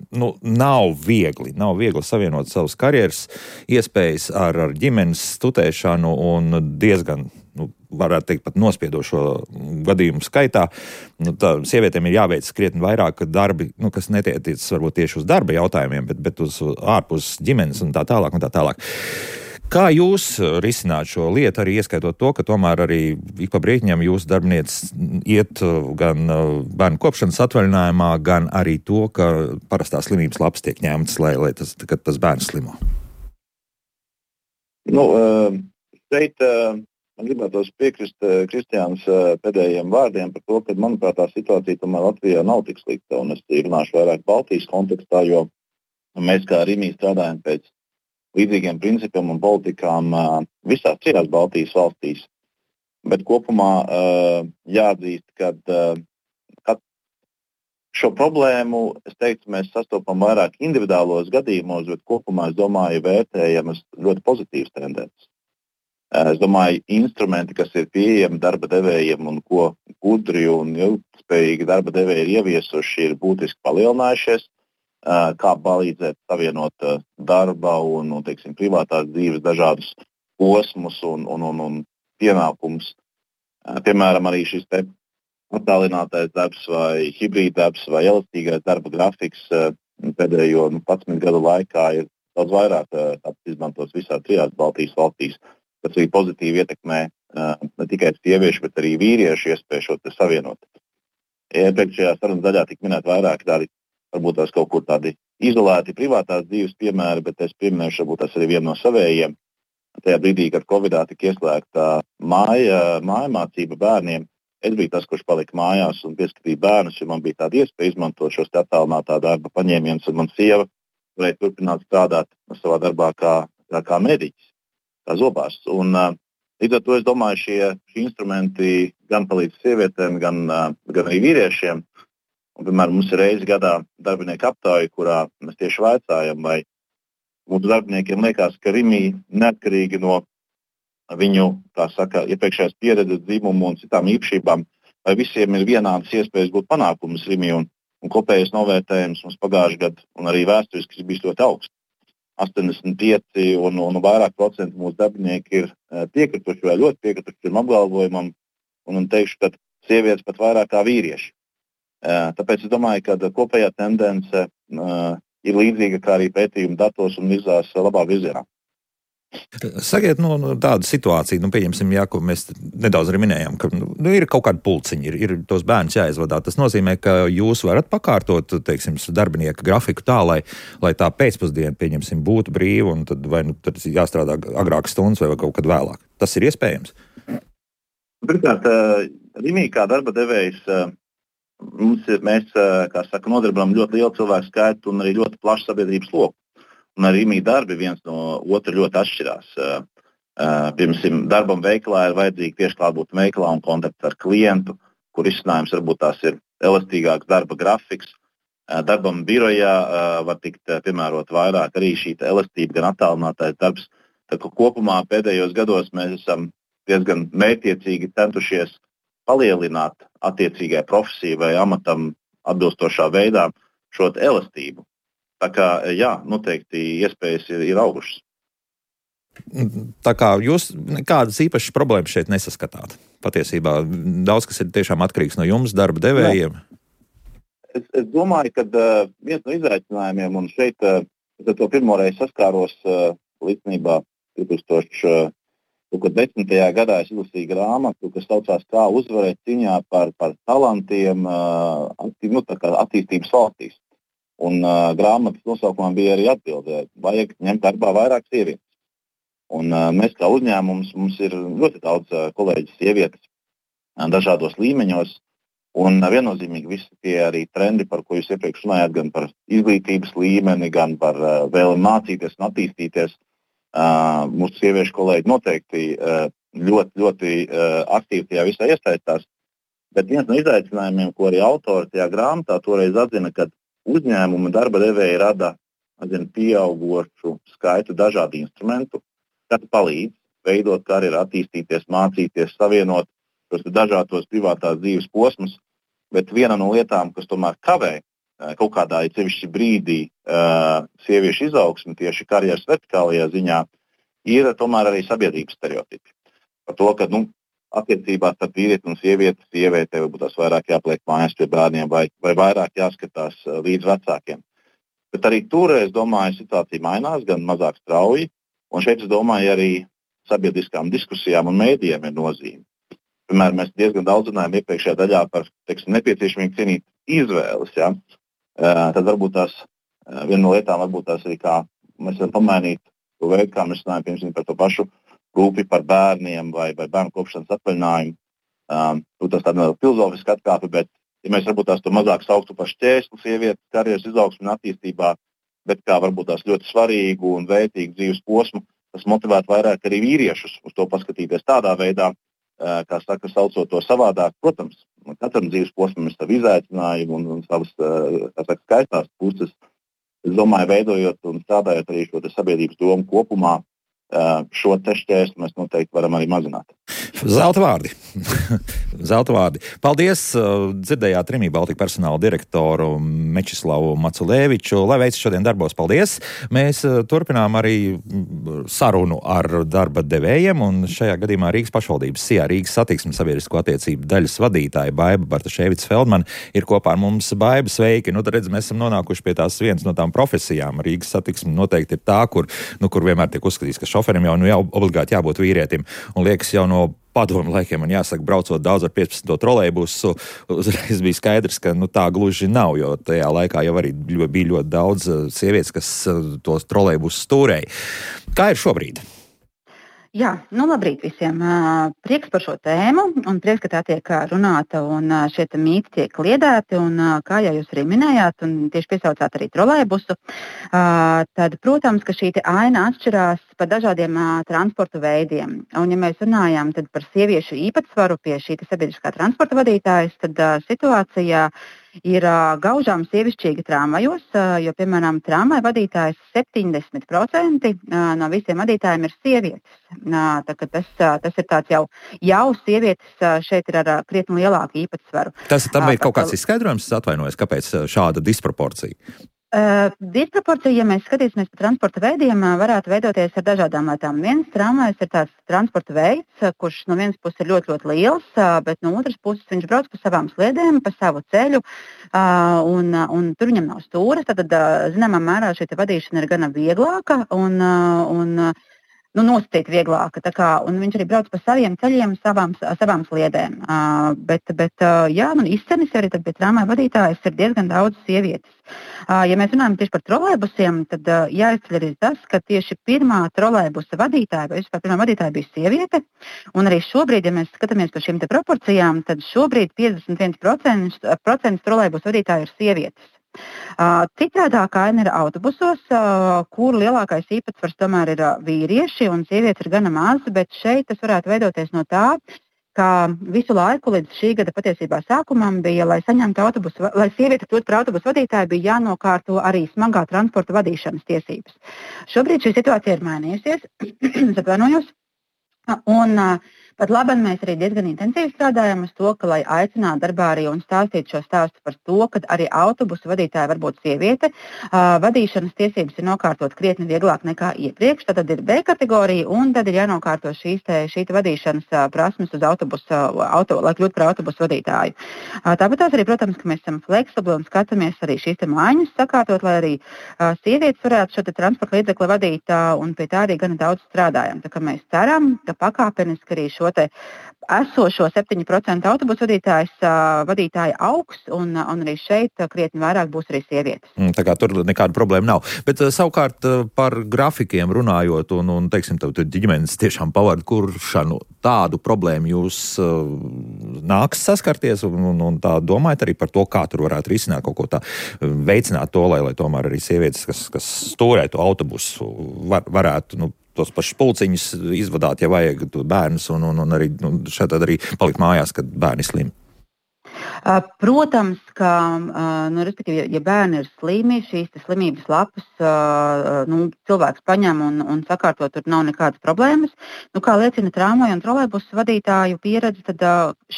nav viegli savienot savas karjeras iespējas ar ģimenes tutēšanu un diezgan, varētu teikt, pat nospiedošo gadījumu skaitā. Sievietēm ir jāveic krietni vairāk darbi, kas netiecas varbūt tieši uz darba jautājumiem, bet uz ārpus ģimenes un tā tālāk un tā tālāk. Kā jūs risināt šo lietu, arī ieskaitot to, ka tomēr arī ik pa brītiņam jūsu darbinieces iet gan bērnu kopšanas atvaļinājumā, gan arī to, ka parastās slimības lapas tiek ņemtas, lai tas bērns slimo? Šeit man gribētos piekrist Kristiānas pēdējiem vārdiem par to, ka, manuprāt, tā situācija tomēr Latvijā nav tik slikta. Un es runāšu vairāk Baltijas kontekstā, jo mēs kā Rimī strādājam pēc līdzīgiem principiem un politikām visās citās Baltijas valstīs. Bet kopumā jāatzīst, ka šo problēmu, es teiktu, mēs sastopam vairāk individuālos gadījumos, bet kopumā, es domāju, vērtējamas ļoti pozitīvas tendences. Es domāju, instrumenti, kas ir pieejami darba devējiem un ko gudri un ilgspējīgi darba devēji ir ieviesuši, ir būtiski palielinājušies, kā palīdzēt savienot darba un teiksim, privātās dzīves dažādus posmus un pienākumus. Piemēram, arī šis te attālinātais darbs vai hibrīddarbs vai elastīgais darba grafiks pēdējo 11 gadu laikā ir daudz vairāk izmantots visās trijās Baltijas valstīs. Tas arī pozitīvi ietekmē ne tikai sieviešu, bet arī vīriešu iespēju šo te savienot. Iepriekšējā sarunas daļā tika minēt vairāk tādi, varbūt tās kaut kur tādi izolēti privātās dzīves piemēri, bet es pieminēšu varbūt tās arī vienu no savējiem. Tajā brīdī, kad Covidā tika ieslēgta mājamācība bērniem, es biju tas, kurš palika mājās un pieskatīja bērnus, jo man bija tāda iespēja izmantot šos attālinātā darba paņēmienus, un man sieva varēja turpināt strādāt savā darbā kā mediķis, kā zobārsts. Un līdz ar to es domāju, šie instrumenti gan palīdz sievietēm, gan arī vīriešiem. Un, piemēram, mums ir reizi gadā darbinieku aptāja, kurā mēs tieši vaicājam, vai mūsu darbiniekiem liekas, ka Rimī neatkarīgi no viņu, tā saka, iepriekšējās pieredzes, dzimumu un citām īpašībām, vai visiem ir vienādas iespējas gūt panākumus Rimī, un kopējais novērtējums mums pagājušajā gadā un arī vēsturiski bija ļoti augsts. 85 un vairāk procentu mūsu darbinieki ir piekrituši vai ļoti piekrituši šim apgalvojumam, un teikšu, ka sievietes pat vairāk kā vīrieši. Tāpēc es domāju, ka kopējā tendence ir līdzīga kā arī pētījuma datos un virzās labā virzienā. Sakiet, tāda situācija, pieņemsim, ko mēs nedaudz arī minējām, ka ir kaut kāda pulciņa, ir tos bērnus jāizvadā. Tas nozīmē, ka jūs varat pakārtot, teiksim, darbinieka grafiku tā, lai tā pēcpusdiena, pieņemsim, būtu brīva, un tad vai tad jāstrādā agrākas stundas vai kaut kad vēlāk. Tas ir iespējams? Pirmkārt, Rimī kā darba devējs, mēs, kā saka, nodarbinām ļoti lielu cilvēku skaitu un arī ļoti plašu sabiedrības loku. Un arī Rimī darbi viens no otra ļoti atšķirās. Piemēram, darbam veikalā ir vajadzīgi tieši klātbūt veikalā un kontakts ar klientu, kur izcinājums varbūt tās ir elastīgāks darba grafiks. Darbam birojā var tikt piemērot vairāk arī šī elastība, gan attālinātais darbs. Tā kā kopumā pēdējos gados mēs esam diezgan mērķiecīgi centušies palielināt attiecīgai profesijai vai amatam atbilstošā veidā šo elastību. Tā kā, jā, noteikti iespējas ir augušas. Tā kā jūs nekādas īpašas problēmas šeit nesaskatāt. Patiesībā daudz kas ir tiešām atkarīgs no jums, darba devējiem. Es domāju, ka viens no izaicinājumiem, un šeit es to pirmoreiz saskāros līdzinībā 2010. gadā es izlasīju grāmatu, kas saucās Kā uzvarēt cīņā par talantiem attīstības valstīs. Un grāmatas nosaukumā bija arī atbilde, vajag ņemt darbā vairāk sievietes. Un mēs kā uzņēmums, mums ir ļoti daudz kolēģi sievietes dažādos līmeņos, un viennozīmīgi visi tie arī trendi, par ko jūs iepriekš runājāt, gan par izglītības līmeni, gan par vēlmi mācīties un attīstīties. Mūsu sieviešu kolēģi noteikti ļoti, ļoti aktīvi tajā visā iesaistās. Bet viens no izaicinājumiem, ko arī autori tajā grāmatā toreiz atzina, ka uzņēmuma darba devēji rada pieaugošu skaitu dažādu instrumentu, kas palīdz veidot karjeru, attīstīties, mācīties, savienot šos dažādos privātās dzīves posmus. Bet viena no lietām, kas tomēr kavē kaut kādā cevišķi brīdī sieviešu izaugsmi tieši karjeras vertikālajā ziņā, ir tomēr arī sabiedrības stereotipi. Par to, ka attiecībās starp vīrieti un sievieti, sievietei varbūt tās vairāk jāpliek mājās pie bērniem vai vairāk jāskatās līdz vecākiem. Bet arī tur, es domāju, situācija mainās, gan mazāk strauji, un šeit, es domāju, arī sabiedriskām diskusijām un mēdījiem ir nozīme. Piemēram, mēs diezgan daudz runājam iepriekšējā daļā par nepieciešamību cienīt izvēles. Ja? Tad varbūt tās viena no lietām, varbūt tās arī kā mēs varam pamainīt to veidu, kā mēs runājam, piemēram, par to pašu rūpi par bērniem vai bērnu kopšanas atvaļinājumu. Tas tāda filozofiska atkāpe, bet ja mēs varbūt tās to mazāk sauktu par šķērsli sievietes karjeras izaugsmu un attīstībā, bet kā varbūt tās ļoti svarīgu un vērtīgu dzīves posmu, tas motivētu vairāk arī vīriešus uz to paskatīties tādā veidā, kā saka, saucot to savādāk. Protams, katram dzīves posmam ir savi izaicinājumi un savas skaistās puses. Es domāju, veidojot un strādājot arī šo sabiedrības domu kopumā, šo šķērsli mēs noteikti varam arī mazināt. Zelta vārdi. Zelta vārdi. Paldies! Dzirdējāt Rimi Baltika personāla direktoru Mečislavu Maculēviču. Lai veids šodien darbos, paldies! Mēs turpinām arī sarunu ar darba devējiem, un šajā gadījumā Rīgas pašvaldības SIA Rīgas satiksmes sabiedrisko attiecību daļas vadītāja Baiba Bartaševics-Feldmane ir kopā ar mums. Baiba, sveiki! Nu, tad redz, mēs esam nonākuši pie tās vienas no tām profesijām. Rīgas satiksme noteikti ir tā, kur vienmēr tiek uzskatīts, ka šoferim jau obligāti jābūt vīrietim. Un liekas, jau no padomu laikiem, man jāsaka, braucot daudz ar 15. trolejbusu, uzreiz bija skaidrs, ka tā gluži nav, jo tajā laikā jau arī bija ļoti daudz sievietes, kas tos trolejbusus stūrēja. Kā ir šobrīd? Jā, labrīt visiem. Prieks par šo tēmu un prieks, ka tā tiek runāta un šie mīti tiek kliedēti. Un, kā jau jūs arī minējāt, un tieši piesaucāt arī trolejbusu, tad, protams, ka šī aina atšķirās par dažādiem transporta veidiem. Un, ja mēs runājam par sieviešu īpatsvaru pie šī sabiedriskā transporta vadītājas, tad situācija ir gaužām sievišķīga tramvajos, jo, piemēram, tramvaja vadītājs 70% no visiem vadītājiem ir sievietes. Tas ir tāds jau sievietes šeit ir ar krietni lielāku īpatsvaru. Tam ir kaut kāds izskaidrojums, atvainojos, kāpēc šāda disproporcija? Disproporcija, ja mēs skatīsimies par transporta veidiem, varētu veidoties ar dažādām lietām. Viens tramvajs ir tāds transporta veids, kurš no vienas puses ir ļoti, ļoti liels, bet no otras puses viņš brauc pa savām sliedēm, pa savu ceļu, un tur viņam nav stūres. Tad, zināmā mērā, šī vadīšana ir gana vieglāka un nosacīt vieglāka. Un viņš arī brauc pa saviem ceļiem, savām sliedēm. Izcenis arī pie tramvaja vadītājas ir diezgan daudz sievietes. Ja mēs runājam tieši par trolejbusiem, tad jāizceļ arī tas, ka tieši pirmā trolejbusa vadītāja, vai vispār pirmā vadītāja bija sieviete. Un arī šobrīd, ja mēs skatāmies par šīm proporcijām, tad šobrīd 51% trolejbusa vadītāju ir sievietes. Citādākā aina ir autobusos, kur lielākais īpatsvars tomēr ir vīrieši un sievietes ir gana maz, bet šeit tas varētu veidoties no tā, ka visu laiku līdz šī gada patiesībā sākumam bija, lai saņemtu autobusu, lai sieviete kļūtu par autobusu vadītāju, bija jānokārto arī smagā transporta vadīšanas tiesības. Šobrīd šī situācija ir mainījusies, atvainojos, un pat labi, mēs arī diezgan intensīvi strādājam uz to, ka, lai aicinātu darbā arī un stāstītu šo stāstu par to, ka arī autobusu vadītāja var būt sieviete. Vadīšanas tiesības ir nokārtot krietni vieglāk nekā iepriekš. Tad ir B kategorija, un tad ir jānokārto šī vadīšanas prasmes uz lai kļūtu par autobusu vadītāju. Tāpat arī, protams, ka mēs esam fleksibli un skatāmies arī šīs maiņas sakārtot, lai arī sievietes varētu šo transporta līdzekli vadīt, un pie tā arī gana daudz strādājam. Tā kā mēs ceram, ka pakāpeniski arī šo esošo 7% autobusu vadītāji augs, un arī šeit krietni vairāk būs arī sievietes. Tā kā tur nekāda problēma nav. Bet savukārt par grafikiem runājot un teiksim, ģimenes tiešām pavadu kuršanu, tādu problēmu jūs nāks saskarties un tā domājat arī par to, kā tur varētu risināt kaut ko tā, veicināt to, lai tomēr arī sievietes, kas stūrē to autobusu, varētu, tos pašus pulciņus izvadāt, ja vajag bērnus, un arī šeit arī palikt mājās, kad bērni slimi. Protams, ka, respektīvi, ja bērni ir slimi, šīs slimības lapas cilvēks paņem un sakārto, tur nav nekādas problēmas. Kā liecina tramvaju un trolejbusu vadītāju pieredze, tad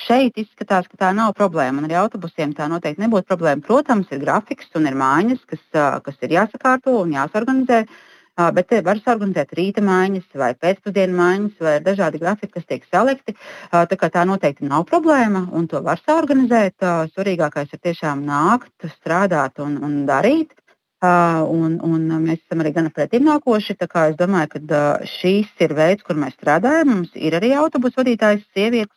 šeit izskatās, ka tā nav problēma. Un arī autobusiem tā noteikti nebūtu problēma. Protams, ir grafiks un ir mājas, kas ir jāsakārto un jāsorganizē. Bet var organizēt rīta maiņas vai pēcpusdienu maiņas, vai ir dažādi grafiki, kas tiek salikti. Tā noteikti nav problēma, un to var saorganizēt. Svarīgākais ir tiešām nākt, strādāt un darīt. Un mēs esam arī gana pretimnākoši. Es domāju, ka šīs ir veids, kur mēs strādājam. Mums ir arī autobusu vadītājas sievietes.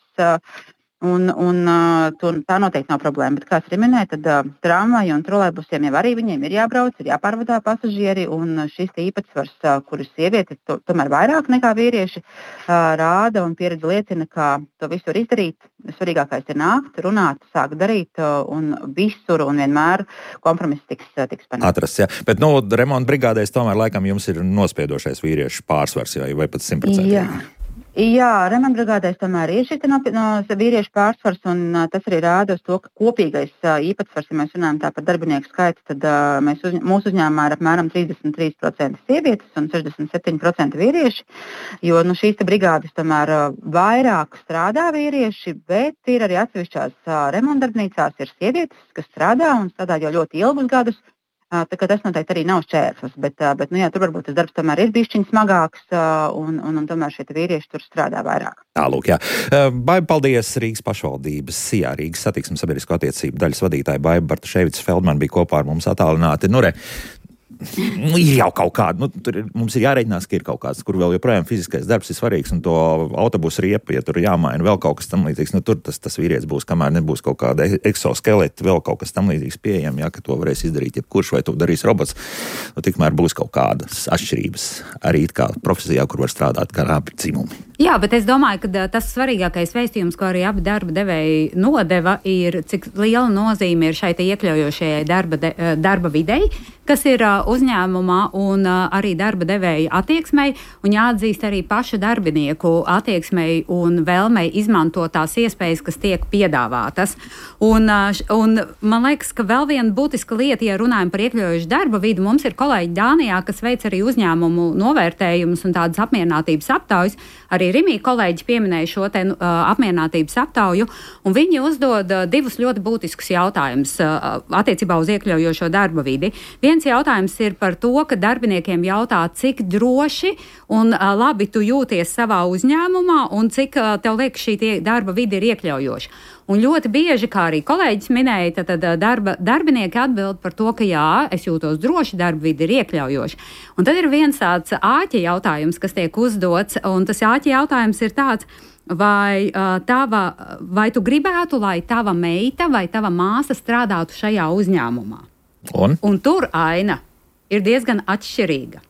Tā noteikti nav problēma. Bet, kā es arī minēju, tad tramvaju un trolejbusiem jau arī viņiem ir jābrauc, ir jāpārvadā pasažieri. Un šis īpatsvars, kuras sievietes tomēr vairāk nekā vīrieši rāda un pieredze liecina, ka to visu var izdarīt. Svarīgākais ir nākt, runāt, sākt darīt un visur un vienmēr kompromiss tiks panākts. Atrast, jā. Bet, remonta brigādēs tomēr laikam jums ir nospiedošais vīriešu pārsvars vai pat 100%. Jā, remontbrigādēs tomēr ir šis no vīriešu pārsvars, un tas arī rāda uz to, ka kopīgais īpatsvars, ja mēs runājam tā par darbinieku skaitu, tad mūsu uzņēmumā ir apmēram 33% sievietes un 67% vīrieši, jo šīs brigādes tomēr vairāk strādā vīrieši, bet ir arī atsevišķās remontdarbnīcās ir sievietes, kas strādā un strādā jau ļoti ilgus gadus. Tā kā tas noteikti arī nav šķērslis, bet tur varbūt tas darbs tomēr ir bišķiņ smagāks un tomēr šie vīrieši tur strādā vairāk. Tālūk, jā. Baiba, paldies Rīgas pašvaldības SIA, Rīgas satiksmes sabiedrisko attiecību daļas vadītāja Baiba Bartaševica-Feldmane bija kopā ar mums attālināti. Ir jau kaut kāda, mums ir jārēķinās, ka ir kaut kāds, kur vēl joprojām fiziskais darbs ir svarīgs, un to autobusu riepu, ja tur jāmaina vēl kaut kas tam līdzīgs, tur tas vīrietis būs, kamēr nebūs kaut kāda eksoskeleta, vēl kaut kas tam līdzīgs pieejam, ka to varēs izdarīt jebkurš, vai to darīs robots, tikmēr būs kaut kādas atšķirības arī kā profesijā, kur var strādāt kā abi dzimumi. Jā, bet es domāju, ka tas svarīgākais vēstījums, ko arī abi darba devēji nodeva, ir, cik liela nozīme ir šai iekļaujošajai darba videi, kas ir uzņēmumā un arī darba devēja attieksmei, un jāatzīst arī pašu darbinieku attieksmei un vēlmei izmantot tās iespējas, kas tiek piedāvātas. Un man liekas, ka vēl viena būtiska lieta, ja runājam par iekļaujošu darba vidu, mums ir kolēģi Dānijā, kas veic arī uzņēmumu novērtējumus un tādas apmierinātības aptaujas. Arī Rimī kolēģi pieminēja šo apmierinātības aptauju, un viņi uzdod divus ļoti būtiskus jautājumus attiecībā uz iekļaujošo darba vidi. Viens jautājums ir par to, ka darbiniekiem jautā, cik droši un labi tu jūties savā uzņēmumā un cik tev liekas šī darba vide ir iekļaujoša. Un ļoti bieži, kā arī kolēģis minēja, tad darbinieki atbild par to, ka jā, es jūtos droši, darba vide ir iekļaujoša. Un tad ir viens tāds āķa jautājums, kas tiek uzdots, un tas āķa jautājums ir tāds, vai tu gribētu, lai tava meita vai tava māsa strādātu šajā uzņēmumā? Un tur aina ir diezgan atšķirīga.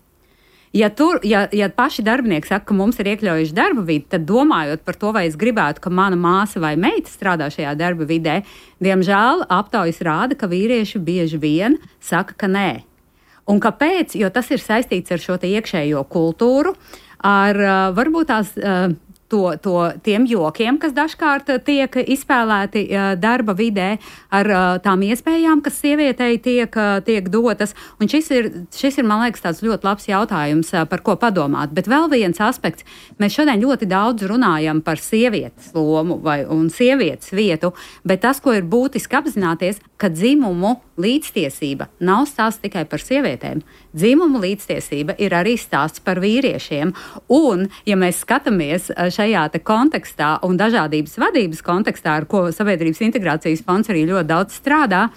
Ja paši darbinieki saka, ka mums ir iekļaujuši darba vidi, tad domājot par to, vai es gribētu, ka mana māsa vai meita strādā šajā darba vidē, diemžēl aptaujas rāda, ka vīrieši bieži vien saka, ka nē. Un kāpēc? Jo tas ir saistīts ar šo iekšējo kultūru, ar varbūt tās tiem jokiem, kas dažkārt tiek izspēlēti darba vidē, ar tām iespējām, kas sievietei tiek dotas. Un šis ir, man liekas, tāds ļoti labs jautājums, par ko padomāt. Bet vēl viens aspekts. Mēs šodien ļoti daudz runājam par sievietes lomu un sievietes vietu, bet tas, ko ir būtiski apzināties, ka dzimumu līdztiesība nav stāsts tikai par sievietēm. Dzimumu līdztiesība ir arī stāsts par vīriešiem. Un, ja mēs skatāmies šajā kontekstā un dažādības vadības kontekstā, ar ko Sabiedrības integrācijas fonds arī ļoti daudz strādā,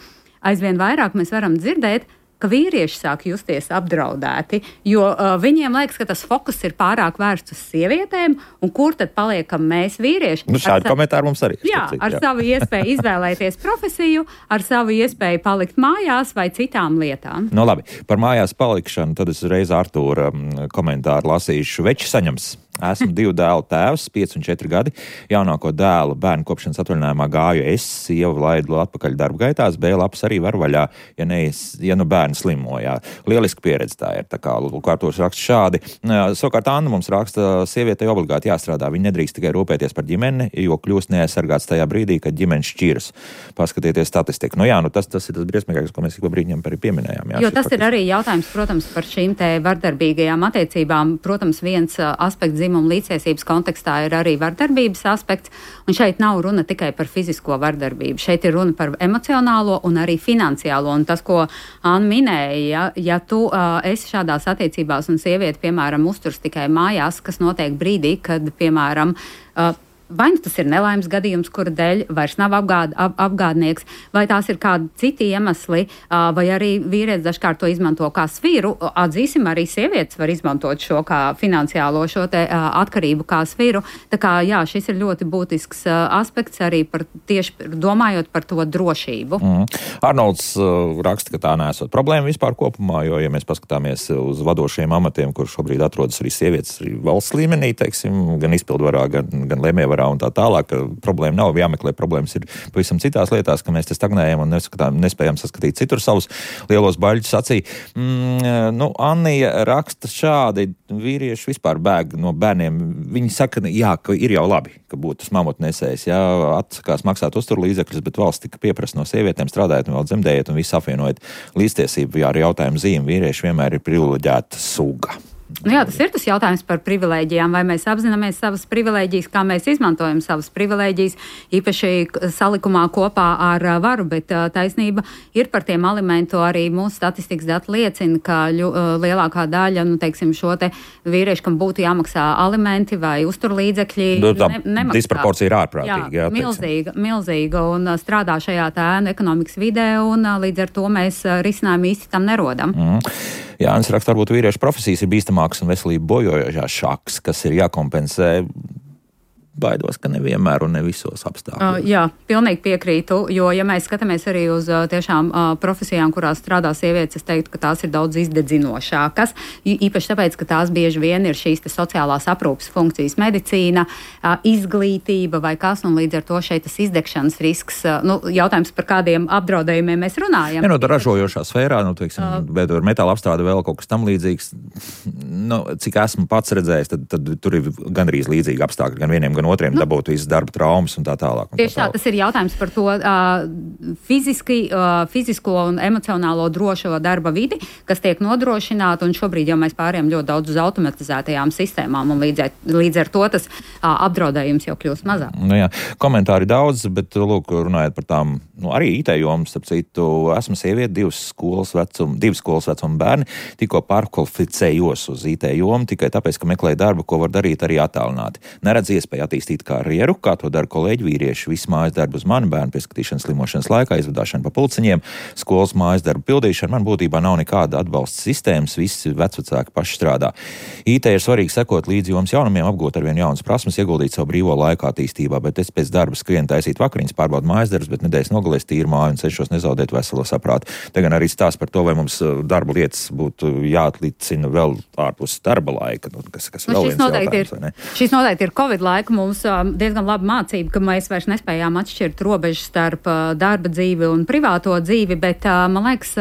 aizvien vairāk mēs varam dzirdēt, ka vīrieši sāk justies apdraudēti, jo viņiem liekas, ka tas fokus ir pārāk vērsts uz sievietēm, un kur tad paliekam mēs vīrieši? Šādi komentāri mums arī. Ar savu iespēju izvēlēties profesiju, ar savu iespēju palikt mājās vai citām lietām. Labi, par mājās palikšanu, tad es reiz Artūra komentāru lasīšu. Veči saņems. Esmu 2 dēlu tēvs, 5 un 4 gadi. Jaunāko dēlu bērnu kopšanas atvaļinājumā gāju es, sieva laidu atpakaļ darba gaitās, B-lapas arī var vaļā, ja bērni slimojā. Lieliski pieredze tā ir, tā kā Artūrs raksta šādi. Savukārt Anna mums raksta, sievietei obligāti jāstrādā. Viņa nedrīkst tikai rūpēties par ģimeni, jo kļūst neaizsargāts tajā brīdī, kad ģimene šķiras. Paskatieties statistiku. Tas ir tas briesmīgākais, ko mēs ik pa brīdim arī pieminējām. Jo tas ir arī jautājums, protams, par šīm te vardarbīgajām attiecībām. Protams, viens aspekts dzimuma līdztiesības kontekstā ir arī vardarbības aspekts, un šeit nav runa tikai par fizisko vardarbību. Šeit ir runa par emocionālo un arī finansiālo, un tas, ko Anna minēja, ja tu esi šādās attiecībās un sieviete, piemēram, uzturs tikai mājās, kas notiek brīdī, kad, piemēram, vai nu tas ir nelaimes gadījums, kura dēļ vairs nav apgādnieks, vai tās ir kādi citi iemesli, vai arī vīrietis dažkārt to izmanto kā sviru. Atzīsim, arī sievietes var izmantot šo kā finansiālo šo te atkarību kā sviru. Tā kā, jā, šis ir ļoti būtisks aspekts arī tieši domājot par to drošību. Arnolds raksta, ka tā nesot problēma vispār kopumā, jo, ja mēs paskatāmies uz vadošiem amatiem, kur šobrīd atrodas arī sievietes arī valsts līmenī, teiksim, gan izpildvarā, gan lēmējvarā un tā tālāk, ka problēma nav jāmeklē, problēmas ir pavisam citās lietās, ka mēs te stagnējam un nespējam saskatīt citur savus lielos baļķus acī. Annija raksta šādi, vīrieši vispār bēg no bērniem. Viņi saka, jā, ka ir jau labi, ka būtu tas mamutnesējs, jā, atsakās maksāt uzturlīdzekļus, bet valsts tika pieprasa no sievietēm strādājot un vēl dzemdējot un visu apvienojot līdztiesību. Jā, ar jautājumu zīmi vīrieši vienmēr ir privileģēta suga. Jā, tas ir tas jautājums par privilēģijām, vai mēs apzināmies savas privilēģijas, kā mēs izmantojam savas privilēģijas, īpaši salikumā kopā ar varu, bet taisnība ir par tiem alimentu. Arī mūsu statistikas dati liecina, ka lielākā daļa, teiksim, šo te vīriešu, kam būtu jāmaksā alimenti vai uzturlīdzekļi, nemaksā. Disproporcija ir ārprātīga. Jā, milzīga un strādā šajā ēnu ekonomikas vidē, un līdz ar to mēs risinājumu īsti tam nerodam. Jānis raksta, varbūt vīriešu profesijas ir bīstamākas un veselību bojojošās šaks, kas ir jākompensē. Baidos, ka nevienmēr un ne visos apstākļos. Jā, pilnīgi piekrītu, jo, ja mēs skatāmies arī uz tiešām profesijām, kurās strādā sievietes, es teiktu, ka tās ir daudz izdedzinošākas, īpaši tāpēc, ka tās bieži vien ir šīs sociālās aprūpes funkcijas, medicīna, izglītība vai kas, un līdz ar to šeit tas izdegšanas risks, jautājums par kādiem apdraudējumiem mēs runājam. Ja, ražojošā sfērā, bet ar metāla apstrādi vēl kaut kas tam līdzīgs, cik esmu pats redzējis, tad tur ir gandrīz līdzīgi apstākļi, gan vieniem, gan otriem dabūt visas darba traumas un tā tālāk. Tieši tā, tas ir jautājums par to fizisko un emocionālo drošo darba vidi, kas tiek nodrošināta, un šobrīd jau mēs pārējām ļoti daudz uz automatizētajām sistēmām, un līdz ar to tas apdraudējums jau kļūst mazāk. Jā, komentāri daudz, bet, runājot par tām, arī IT jomas, starp citu, esmu sieviete, divi skolas vecuma bērni, tikko pārkvalificējos uz IT jomu, tikai tāpēc, ka meklēju darbu, ko var darīt arī attālināti. Neredz iespēju attīstīt karjeru, kā to dara kolēģi vīrieši. Visu mājas darbu uz mani, bērnu pieskatīšanas slimošanas laikā, izvadāšana pa pulciņiem, skolas mājas darbu pildīšana. Man būtībā nav nekāda atbalsta sistēmas, visi vecvecāki paši strādā. IT ir svarīgi sekot līdzi jomas jaunumiem, apgūt arvien jaunas prasmes, ieguldīt savu brīvo laiku attīstībā, bet es pēc darba skrienu taisīt vakariņas, pārbaudu mājas darbus, bet nedēļas nogalēs tīru māju un cenšos nezaudēt veselo saprātu. Te gan arī stāsts par to, vai mums darba lietas būtu jāatlicina vēl ārpus darba laika, kas vēl viens jautājums, vai ne? Šis noteikti ir Covid laika mums diezgan laba mācība, ka mēs vairs nespējām atšķirt robežas starp darba dzīvi un privāto dzīvi, bet man liekas,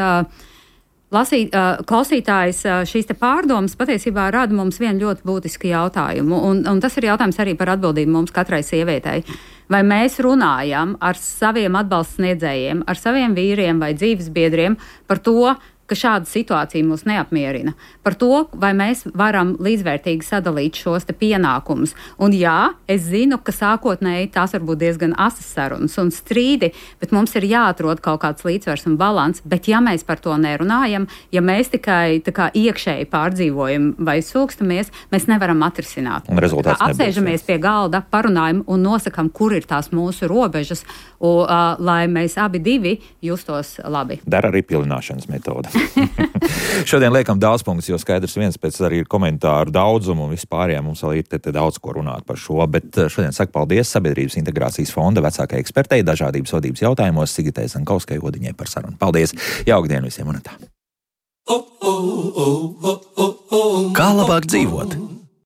klausītājs šīs te pārdomas patiesībā rada mums vienu ļoti būtisku jautājumu, un tas ir jautājums arī par atbildību mums katrai sievietei. Vai mēs runājam ar saviem atbalsta sniedzējiem, ar saviem vīriem vai dzīvesbiedriem par to, ka šāda situācija mūs neapmierina. Par to, vai mēs varam līdzvērtīgi sadalīt šos te pienākumus. Un jā, es zinu, ka sākotnēji tās var būt diezgan asas sarunas un strīdi, bet mums ir jāatrod kaut kāds līdzsvars un balans, bet ja mēs par to nerunājam, ja mēs tikai tā kā iekšēji pārdzīvojam vai sūkstamies, mēs nevaram atrisināt. Un rezultāts nebūs. Apsēžamies pie galda, parunājam un nosakam, kur ir tās mūsu robežas, lai mēs abi divi justos labi. Dara arī pilināšanas metode. Šodien liekam daudz punktus, jo skaidrs viens pēc arī ir komentāru daudzumu un vispārējā mums vēl ir te daudz ko runāt par šo, bet šodien saku paldies Sabiedrības integrācijas fonda vecākajai ekspertei dažādības vadības jautājumos Sigitai Zankauskai Odiņai par sarunu. Paldies! Jauku dienu visiem un tā! Kā labāk dzīvot?